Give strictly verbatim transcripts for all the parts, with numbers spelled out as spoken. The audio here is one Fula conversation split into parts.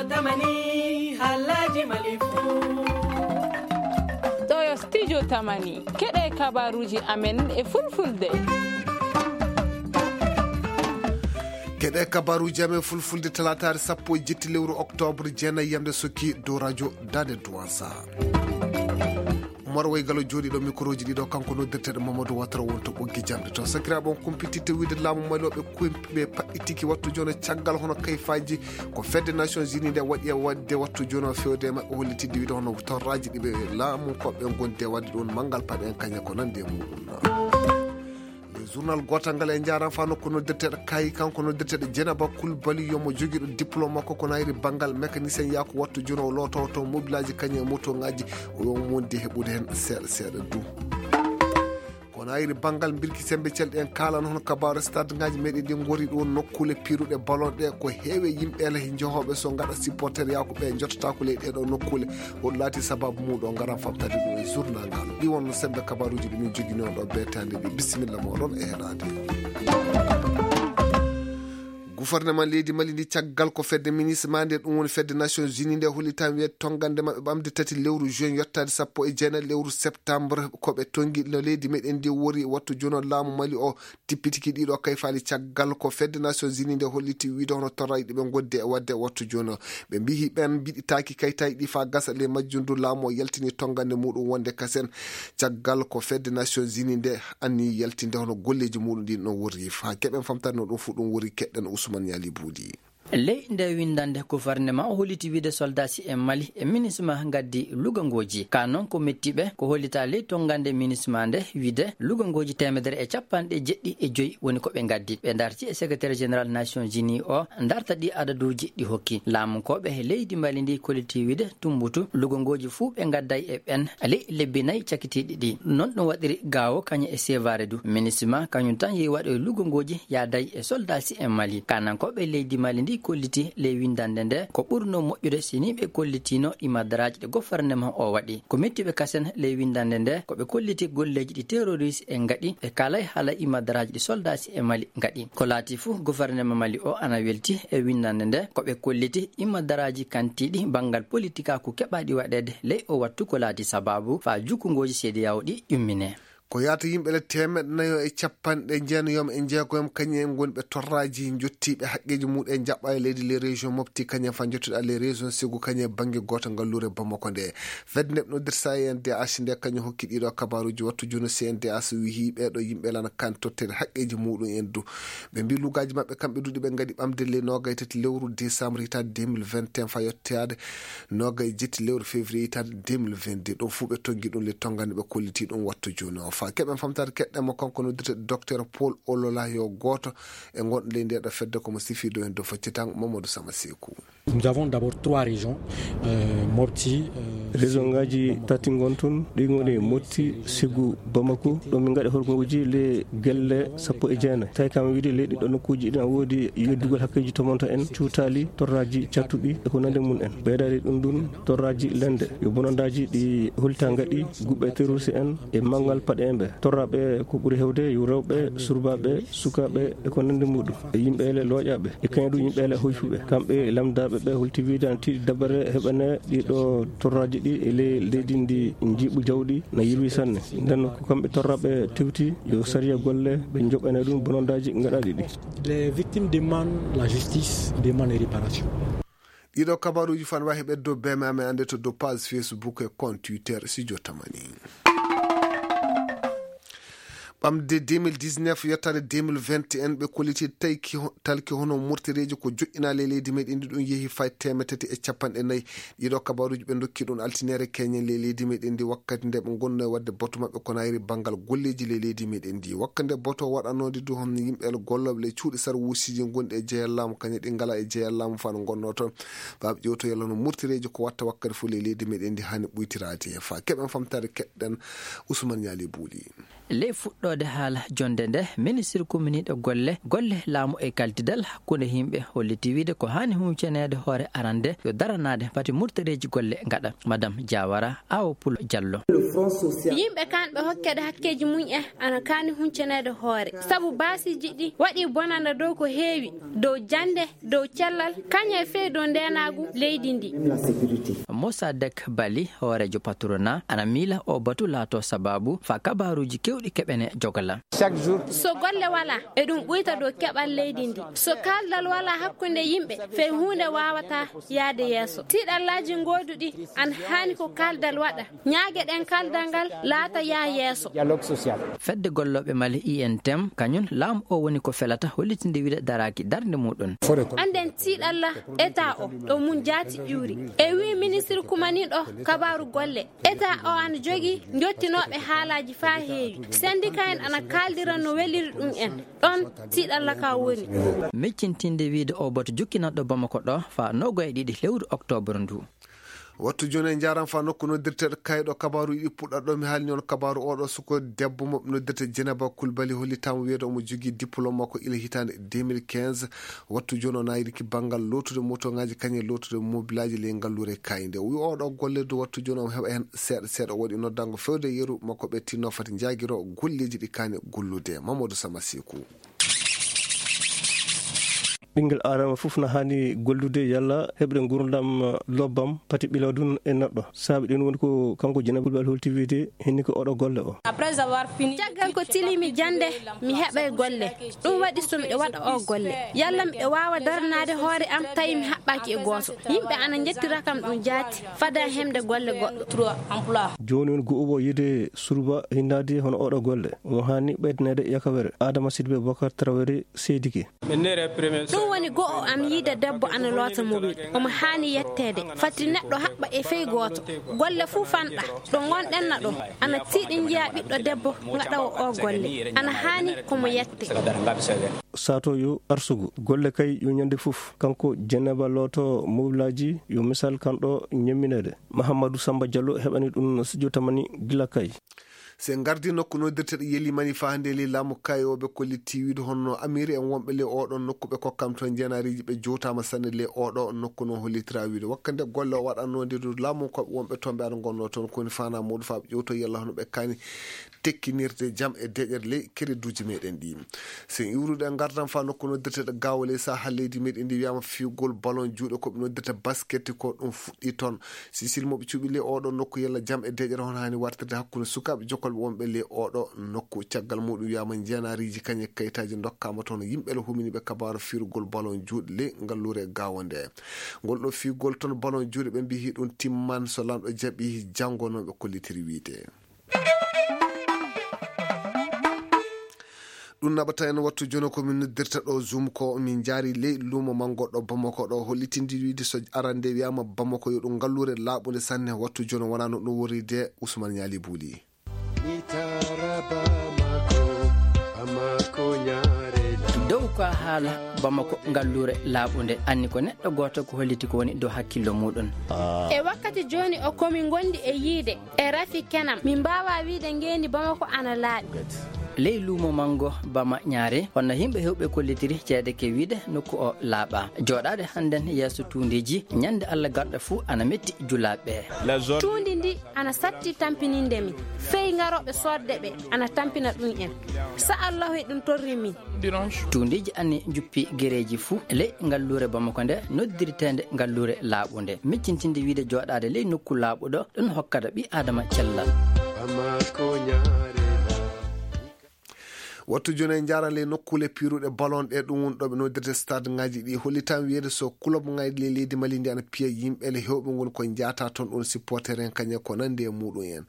Tamani, halaji malifu. Ɗo yo studio Tamani. Keɗe kabaruji amen e fulfulde. Keɗe kabaruji amen fulfulde, talataare sappo e jetti lewru octobre, jeenayi yamde sokki dow radio Dade Duwansa. Umar Waygalo jooɗiiɗo mikroji ɗiɗo, kanko noddirteɗo Mamadou Watara won to ɓoggi jamɗe to. Sakiraaɓe, on kumpititte wiide laamu Mali o ɓe kumpi, ɓe paɗɗitiki wattu jono caggal hono kayfaaji ko fedde Nations Unies nde waɗi e waɗde wattu jono fewde e maɓɓe, hollitidde wiide hono torraaji ɗi ɓe laamu ko ɓe gondi e waɗde ɗum manngal paɗe en kañe ko nandi e muɗum. Le journal gootal ngal e njaram fa nokku noddirteɗo Kayi, kanko noddirteɗo Jenaba Kulbali, yomo jogiiɗo diplôme makko ko nayri banngal mécanicien, yaa ko wattu jono o loototo mobilaaji kañum e motoŋaaji, o yo mondi heɓude heen seeɗa seeɗa du. Ko nayri banngal mbirki sembe celɗi en kaalano hono kabaaru stade ngaji meɗen ɗi ngori ɗo nokkuule piruɗe ballon ɗe ko heewe yimɓe ele he jehooɓe so ngaɗa supporter yaa ko ɓe jottata ko ley ɗeɗo nokkuule. Ko ɗum laati sababu muɗo ngaran famtade ɗum e journal ngal. Ɗi wonno sembe kabaruji ɗi min jogino ɗo beetande ɗi. Bisimilla moɗon e heɗade. Gouvernement leydi Mali ndi caggal ko fedde ministre ma nde ɗum woni fedde Nations Unies nde hollitan wiye tongande maɓɓe ɓamde tati lewru juin yottade sappo e jeenayi lewru septembre ko ɓe tongi no leydi meɗen ndi wori wattu jono laamu Mali o tippitiki ɗiɗo kayfaali caggal ko fedde Nations Unies nde holliti wiide hono torraji ɗi ɓe goddi e wadde wattu jono. Ɓe mbiyi ɓen mbiɗitaaki kaytaji ɗi fa gasa ley majjum du laamu o yaltini tongande muɗum wonde kasen caggal ko fedde Nations Unies nde anni yaltinde hono golleji muɗum ɗin no worri fa keɓen famtade no ɗum fu ɗum worri keɗɗen Ousmane Yali Buudi. Ley nde winndande gouvernement o holliti wiide soldasi e Mali e minisma gaddi lugangooji ka noon ko mettiɓe ko hollita ley tongande minisma nde wiide lugangooji teemedere e capanɗe jeɗɗi e joyi woni ko ɓe gaddi ɓe darti e secrétaire général Nations Unies o darta ɗi adaduuji ɗi hokki laamunkooɓe leydi Mali ndi kolliti wiide tumbutu lugangooji fuu ɓe gadday e ɓen ley lebbi nayi cakitiiɗi ɗi noon ɗum waɗiri gaawo kañum e seevaare du minisma kañum tan yehi waɗo e lugangooji yaaday e soldasi e Mali kanankooɓe leydi Mali ndi kolliti ley winndande nde ko ɓurno moƴƴude si ni ɓe kollitino imadaraaji ɗe gouvernement o waɗi ko mettiɓe kasen ley winndande nde ko ɓe kolliti golleeji ɗi terroriste e ngaɗi ɓe kaalay haala imadaraaji ɗi soldasi e Mali ngaɗi ko laati fuu gouvernement Mali o ana welti e winndande nde ko ɓe kolliti imadaraaji kantiiɗi banngal politikaaku keɓaaɗi waɗeede ley o wattu ko laati sabaabu faa jukkungooji cedeao ɗi ƴummine. Ko yaata yimɓe le teemeɗɗe nayo e capanɗe jeenayoom e njeegoyoom kañum en ngoni ɓe torraaji jottiiɓe haqqeeji muɗum en jaɓɓa e leydi les régions mofti kañum en fa jottuɗa les régions sigu kañum e bannge gooto ngalluure Bamako nde fedde nde ɓe noddirta C N D H nde kañum hokki ɗiɗo kabaruuji wattu jooni C N D H wiyi ɓeeɗo yimɓe lana kan totteede haqqeeji muɗum en du ɓe mbi lugaaji maɓɓe kamɓe duuɗi ɓe ngadi ɓamde le noogay tati lewru décembre hitaande deux mille vingt et un fa yettoyaade noogay jetti lewru février hitaande deux mille vingt-deux ɗum fuu ɓe toggi ɗum le tongande ɓe kolliti ɗum wattu jooni o fa keɓen famtaade keɗɗen mo kanko noddirte docteur Paul Olola yo gooto e ngonɗo ley ndeɗo fedde komo sifiido en dow faccitango Mamadou Sama Seeku. Nous avons d'abord trois régions, euh, Mopti, euh, région ngaji tati ngon tun ɗi ngoni Motti, Sigu, Bamako ɗo min ngaɗi horgoji le gelle sappo e jeenayi tawi kam wiide leyɗi ɗo nokkuji ɗin a woodi yeddugol hakkeji tomonto en cuutali torraji cattuɗi e ko nande mum en ɓeydari ɗum ɗum torraji lende yo bonondaji ɗi holta ngaɗi guɓɓe terroriste en e mangal paɗe en ɓe torraɓe ko ɓuri hewde yo rewɓe surbaɓe sukaɓe e ko nande muɗum e yimɓe ele looƴaɓe e kañum ɗum yimɓe ele hoyfuɓe kamɓe lamdaɓe ɓe holti wiide ana tiiɗi dabare heɓane ɗiɗo torraji ɗi e ley leydi ndi jiiɓu jawɗi na yirwi sanne nden ko kamɓe torraɓe tewti yo sariya golle ɓe joɓane ɗum bonondaji gaɗaɗi ɗi. Les victimes demandent la justice, demandent réparation. Ɗiɗo kabaruji fan wahi ɓeddo beme amen ande to dow page Facebook e compte Twitter si jottamani. Ɓamde deux mille dix-neuf yettade deux mille vingt et un ɓe kolliti tayki talki hono murtereeji ko joƴƴinaa ley leydi meɗen ndi ɗum yehi fay teemetati e capanɗe nayi. Ɗiɗo kabaruuji ɓe ndokki ɗum altinere keñen ley leydi meɗen ndi wakkati nde ɓe ngonno e waɗde boto maɓɓe ko nayri banngal golleeji ley leydi meɗen ndi wakkati nde boto waɗanoode du hon yimɓe gollooɓe ley cuuɗi sarwuusiji gonɗi e jeyal laamu kañe ɗi ngala e jeyal laamu fano ngonno toon. Baaɓe ƴewto yalla no murtereeji ko watta wakkati fof ley leydi meɗen ndi hani ɓuytiraade he fa keɓen famtaade keɗɗen. Ousmane Ñaali Buuli. Ley fuɗɗoode haala jonnde nde, ministir kuminiiɗo golle, golle laamu e kaltidal hakkunde yimɓe holliti wiide ko haani huñceneede hoore arande yo daranaade fati murtareeji golle ngaɗa. Madam Diawara Awo Pulo Diallo. Yimɓe kanɓe hokkeede hakkeeji mum en ana kaani huñceneede hoore. Sabu baasiiji ɗi waɗi bonanda dow ko heewi, dow jannde, dow cellal, kañum e fey dow ndeenaagu leydi ndi. Moussa Dek Bali, hooreejo patrona, ana miila o batu laato sababu fa kabaaruuji kewɗi keɓene jogala. So golle wala, e ɗum ɓuyta dow keɓal leydi ndi. So kaaldal wala hakkunde yimɓe, fey huunde waawata yaade yeeso. Tiiɗallaaji ngooduɗi ana haani ko kaaldal waɗa. Ñaage ɗen kaaldal ngal laata yaa yeeso. Fedde gollooɓe Mali I N T M, kañum laamu o woni ko felata hollitinde wiide daraaki darnde muɗum. Annden tiiɗalla eta o ɗo mum jaati ƴuuri. E wii ministir kumaniiɗo kabaaru golle. Eta o ana jogii njottinooɓe haalaaji faa heewi. Sendika en ana kaaldira no weliri ɗum en. Ɗon tiiɗalla ka woni. Miccintinde wiide o batu jukkinanɗo Bamako ɗo faa nogo e ɗiɗi lewru oktoobar ndu. Wattu jooni en njaaraama faa nokku noddirteeɗo kayɗo kabaaru yiɗi puɗɗa ɗo mi haalni on kabaaru oɗo suko debbo mo ɓe noddirta Jenaba Kulbali hollitaama wiyeede omo jogii diplôme makko ila hitaande deux mille quinze. Wattu jooni o naayiriki banngal lootude motoŋaaji kañum e lootude mobilaaji ley ngalluure kayde. O wi oɗo golle du wattu jooni omo heɓa heen seeɗa seeɗa o waɗi noddango fewde yeru makko ɓe tinno fati njaagiro golleeji ɗi kaani gollude. Mamadou Samasiku. Ɓinngel aadama fof na haani gollude yalla heɓde nguurndam lobbam pati ɓilaw ɗum e neɗɗo. Saabi ɗum woni ko kanko Jenaba Kulbali holti wiide hinni ko oɗo golle o. Caggal ko tilimi jannde, mi heɓay golle. Ɗum waɗi so miɗo waɗa o golle. Yalla miɗo waawa daranaade hoore am tawi mi haɓɓaaki e gooto. Yimɓe ana njettira kam ɗum jaati, fada hemde golle goɗɗo. Jooni woni go'uɓo yiide surba hinnaade hono oɗo golle. Omo haani ɓeydaneede yakawere. Adama Sidibé Bokar Traoré seedike. Ɗum woni go'o am yiide debbo ana loota mobil. Omo haani yetteede. Fati neɗɗo haɓɓa e fey gooto. Golle fuu fanɗa. Ɗo ngonɗen na ɗo. Ana tiiɗi njiya ɓiɗɗo debbo ngaɗawo o golle. Ana haani ko mo yette. Sato yo arsugu. Golle kay yo ñande fof. Kanko Jenaba looto mobilaaji yo misal kan ɗo ñemmineede. Mahamadou Samba Diallo heɓani ɗum studio Tamani gila kay. Se ngardi nokku noddirteɗo Yelimani faa hannde ley laamu kayooɓe kolli tiiwiiɗo hono Amiri en wonɓe ley oɗon nokku ɓe kokkam toon njenaariiji ɓe jowtaama sanne ley oɗo nokku noon hollitira wiide wakkande golle o waɗannoo nde du laamu koɓe wonɓe toon ɓe aɗa ngonnoo toon koni faanaa muɗum faa ɓe ƴewto yalla hono ɓe kaani tekkinirde jam e deƴere ley kereduuji meɗen ɗi. Sen iwrude e ngardam faa nokku noddirteɗo Gaawo ley saha leydi meɗen ndi wiyaama fiyugol balon juuɗe ko ɓe noddirta basket ko ɗum fuɗɗi toon. Sisil mo ɓe cuɓi ley oɗo nokku yalla jam e deƴere hono haani wartirde hakkunde sukaaɓe jokkolɓe wonɓe ley oɗo nokku. Caggal muɗum wiyaama njenaariiji kañe kayitaaji ndokkaama toon yimɓe le humini ɓe kabaaru firugol balon juuɗe ley ngalluure Gaawo nde. Ngol ɗo fiyugol toon balon juuɗe ɓe mbiyi ɗum timman so lamɗo jaɓi janngo noon ɓe kollitiri wiide. Ɗum naɓata en wattu jono ko min noddirta ɗo Zoom ko min njaari ley luumo manngo ɗo Bamako ɗo hollitindi wiide so arande wiyaama Bamako yo ɗum ngalluure laaɓunde sanne wattu jono wonaa no ɗum worri de Ousmane Ñaali Buuli. Dow ko a haala Bamako ngalluure laaɓunde anni ko neɗɗo gooto ko holliti ko woni dow hakkillo muɗum. E wakkati jooni o komi ngondi e yiide e rafi kenam. Min mbaawaa wiide ngeendi Bamako ana laaɓi. Ley luumo manngo Bama Ñaare, hono yimɓe heewɓe kollitiri ceede ke wiide nokku o laaɓa. Jooɗaade hannden yeeso tuundiiji, ñande Alla garɗo fuu ana metti julaaɓe. Tuundi ndi ana satti tampininde min. Fey ngarooɓe soodde ɓe ana tampina ɗum en. Sa Allahu e ɗum torri min. Tuundiiji ani njuppi gereeji fuu ley ngalluure Bamako nde noddirteende ngalluure laaɓunde. Miccintinde wiide jooɗaade ley nokku laaɓuɗo ɗum hokkata ɓii Aadama cellal. Wattu jooni en njaara ley nokkuule piiruɗe balon ɗe ɗum woni ɗo ɓe noddirta stade ngaji ɗi hollitan wiyeede so club ngaji ley leydi Mali ndi ana piya yimɓe le hewɓe ngoni ko njaata toon ɗum supporter en kañe ko nandi e muɗum en.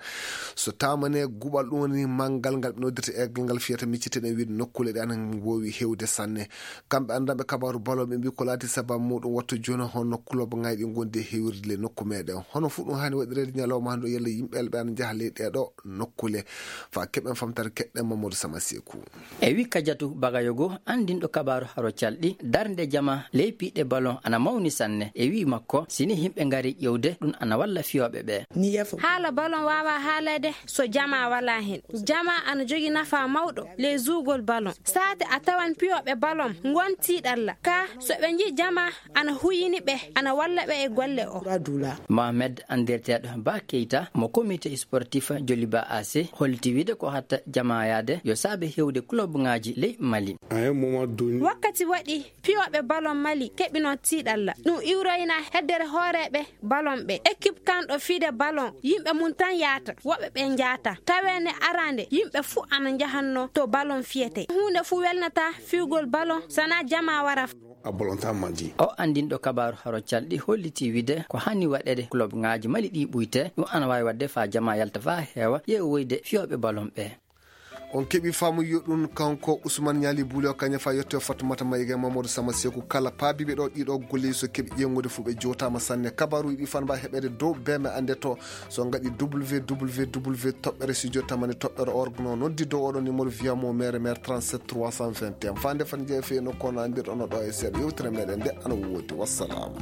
So tamane guɓal ɗum woni manngal ngal ɓe noddirta Aigle ngal fiyata micciteɗen wiide nokkuule ɗe ana mboowi hewde sanne. Kamɓe anndanɓe kabaaru balon ɓe mbi ko laati sababu muɗum wattu jooni honno club ngaji ɗi ngondi e hewirde le nokku meɗen. Hono fu ɗum haani waɗireede ñalawma hannde o yalla yimɓe le ɓe ana njaha ley ɗeɗo nokkuule. Fa keɓen famtare keɗɗen Mamadou Sama Seku. E wi Kajatu Bagayogo, anndinɗo kabaaru haro calɗi, darnde jama ley piiɗe balon ana mawni sanne. E wi makko, si ni yimɓe ngari ƴewde, ɗum ana walla fiyooɓe ɓe. Haala balon waawa haaleede so jama wala hen. Jama ana jogi nafa mawɗo ley zuugol balon. Saate a tawan piyooɓe balon ngon tiiɗalla. Ka so ɓe nji jama ana huyini ɓe, ana walla ɓe e golle o. Mohamed anndirteeɗo Ba Keita mo comité sportif Joliba A C holliti wiide ko hatta jama yaade yo saabe hewde club ŋaaji ley Mali. Wakkati waɗi piyooɓe balon Mali keɓino tiiɗalla. Ɗum iwroyna heddere hooreeɓe balon ɓe. Équipe kanɗo fiide balon, yimɓe mum tan yaata, woɓɓe ɓe njaata. Taweene arande, yimɓe fuu ana njahanno to balon fiyete. Huunde fuu welnata fiugol balon, sana jama wara. A bolonta madi. O anndinɗo kabaaru haro calɗi holliti wiide ko hani waɗeede club ŋaaji Mali ɗi ɓuyte, ɗum ana waawi waɗde faa jama yalta faa heewa, yeewoyde fiyooɓe balon ɓe. On keɓi faamu yo ɗum kanko Ousmane Niali Boulio Kagna fa yetto Fatoumata Maïga Mamadou Sama Sekou kala paabiɓe ɗo ɗiɗo golle so keɓi ƴeeŋude fuu ɓe jootaama sanne. Kabaaruuji ɗi fanba heɓeede dow bee me annde to so ngaɗi www toɓɓere studio tamani toɓɓere org no noddi dow oɗo numéro via mo mere mere trente-sept trois cent vingt et un. Fande fan jeefe no kono anndirɗo no ɗo e seeɗa yewtere meɗen nde ana woodi. Wassalam.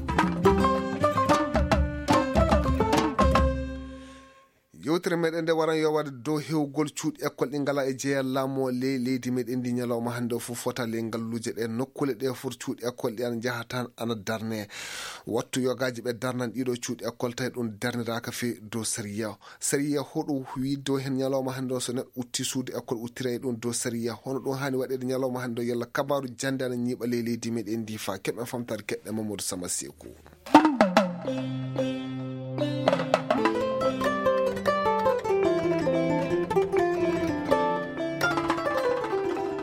Yewtere meɗen nde waran yo waɗe dow hewgol cuuɗi école ɗi ngala e jeeya laamu o ley leydi meɗen ndi. Ñalawma hannde o fof fota ley ngalluuje ɗe nokkule ɗe fof cuuɗi école ɗi ana njaha tan ana darne. Wattu yogaaji ɓe darnan ɗiɗo cuuɗi école tawi ɗum darniraaka fe dow sariya. Sariya hoɗo wi dow heen ñalawma hannde o so neɗɗo utti suudu école uttira e ɗum dow sariya? Hono ɗum haani waɗeede ñalawma hannde o yalla kabaaru jannde ana ñiiɓa ley leydi meɗen ndi fa keɓen famtaade keɗɗe Mamadou Sama Seeku.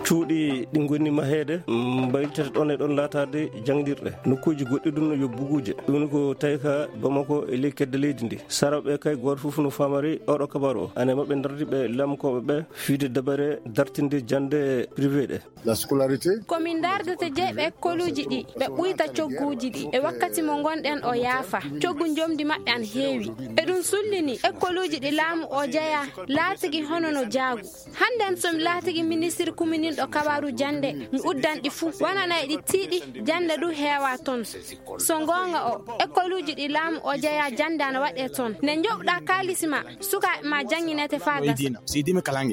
Cuuɗi ɗi ngoni maheede, mbaylitata ɗon e ɗon laataade jaŋdirɗe. Nokkuuji goɗɗi ɗum no yo buguuje. Ɗum ko tawi ka Bamako e ley kedde leydi ndi. Saraɓe kay gooto fof no faamari oɗo kabaru o. Ane maɓɓe dardi ɓe lamkooɓe ɓe fiide dabare dartinde jannde privé ɗe. La scolarité. Ko min ndardata jeyɓe ekkoluuji ɗi, ɓe ɓuyta cogguuji ɗi. E wakkati mo ngonɗen o yaafa, coggu njomdi maɓɓe an heewi. E ɗum sullini, ekkoluuji ɗi laamu o jeya laatigi hono no jaagu. Hannden so mi laatigi ministir kumuninɗo kabaru jannde, mi uddan ɗi fuu. Wananay ɗi tiiɗi, jannde du heewa ton. So ngoonga o, ekkoluuji ɗi laamu o jeya jannde ana waɗee ton. Nde njoɓɗa kaalisi ma, sukaaɓe ma jannginete faa gasa.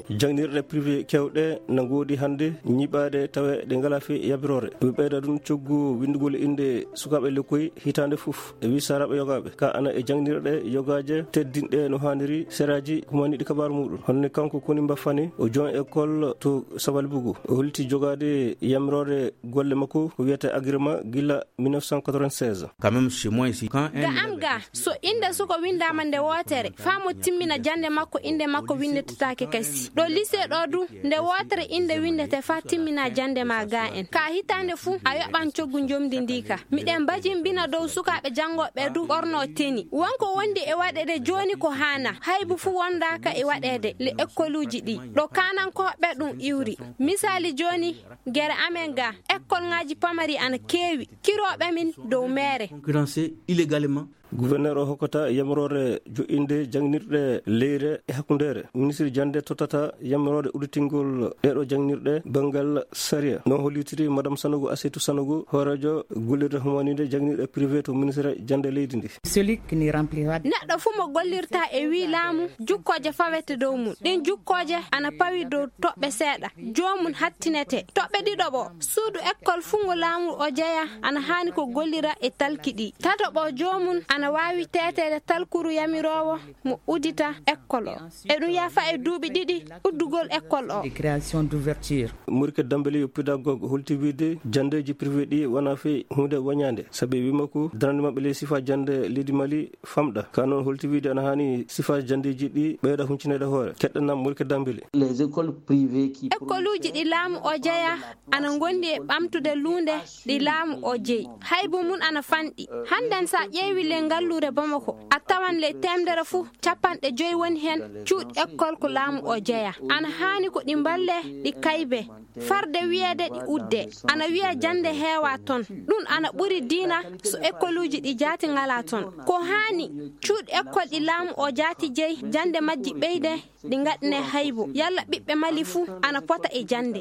Jaŋdirɗe privé kewɗe na ngoodi hannde ñiiɓaade tawe ɗe ngalaa fii yabiroore. Ɓe ɓeyda ɗum coggu winndugol innde sukaaɓe lekkoy hitaande fof. E wii saraɓe yogaaɓe. Ka ana e jaŋdirɗe yogaaje teddinɗe no haaniri seraaji kumaniiɗi kabaaru muɗum. Honne kanko koni mbaffani o jon école to Sabalibugu. O holti jogaade yamiroore golle makko ko wiyata agrément gila mille neuf cent quatre-vingt-seize. Quand même, chez moi ici, quand un Ga am ga, so innde suko winndaama nde wootere, faa mo timmina jannde makko, innde makko winndetetaake kasi. Ɗo lycée ɗo du, nde wootere innde winndete faa timmina jannde ma ga en. Ka hitaande fuu, a yoɓan coggu njomdi ndi ka. Miɗen mbajimbina dow sukaaɓe janngooɓe du ɓorno teni. Wonko wondi e waɗeede jooni ko haana, haybu fuu wondaaka e waɗeede le ekkoluuji ɗi. Ɗo kaanankooɓe ɗum iwri. Misaali jooni, gere amen ga, ekkolŋaaji pamari ana keewi, kirooɓe min dow meere. Concurrencé illégalement. Gouverneur o hokkata yamiroore joɗɗinde jaŋnirɗe leyre e hakkundeere. Ministre jannde tottata yamiroore udditingol ɗeeɗo jaŋnirɗe banngal sariya. No hollitiri Madame Sanogo Asetu Sanogo, hooreejo gollirde humaniinde jaŋnirɗe privé to ministre jannde leydi ndi. Celui qui ne remplira Neɗɗo fuu mo gollirta e wii laamu, jukkooje fawete dow mum. Ɗin jukkooje ana pawi dow toɓɓe seeɗa. Joomum hattinete. Toɓɓe ɗiɗo ɓo, suudu ekkol fuu ngo laamu o jeya ana haani ko gollira e talki ɗi. Tato ɓo, joomum ana waawi teeteede talkuru yamiroowo mo uddita ekkol o. E ɗum yafa e duuɓi ɗiɗi uddugol ekkol o. De création d'ouverture. Murke Dambele yo pédagogue holti wiide janndeeji privé ɗi wona fii huunde wañaande. Sabi wii makko darande maɓɓe ley sifa jannde leydi Mali famɗa. Ka noon holti wiide ana haani sifaaji janndeeji ɗi ɓeyda huncineede hoore. Keɗɗanam Murke Dambele. Les écoles privées qui Ekkoluuji ɗi laamu o jeya ana ngondi e ɓamtude luunde ɗi laamu o jeyi. Haybu mum ana fanɗi. Hannden sa ƴeewi le Galluure Bamako, a tawan ley teemedere fuu capanɗe joy woni heen cuuɗi ekkol ko laamu o jeyaa. Ana haani ko ɗi mballee, ɗi kaybee. Farde wiyeede ɗi uddee, ana wiya jannde heewaa toon. Ɗum ana ɓuri diina so ekkoluuji ɗi jaati ngalaa toon. Ko haani cuuɗi ekkol ɗi laamu o jaati jeyi jannde majji ɓeyde, ɗi ngaɗne haybo. Yalla ɓiɓɓe Mali fuu ana pota e jannde.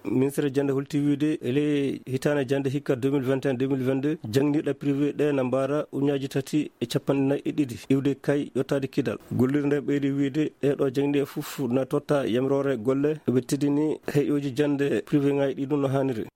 Ministre jannde holti wiide e ley hitaande jannde hikka deux mille vingt et un deux mille vingt-deux, jannginirɗe privé ɗe na mbaara ujunnaaji tati e capanɗe nayi e ɗiɗi iwde kay yottaade kidal. Gollirde nde ɓeydi wiide ɗee ɗo jannginirɗe fof na totta yamiroore golle, ɓe teddini heƴooji jannde privé ŋaaji ɗi ɗum no haaniri.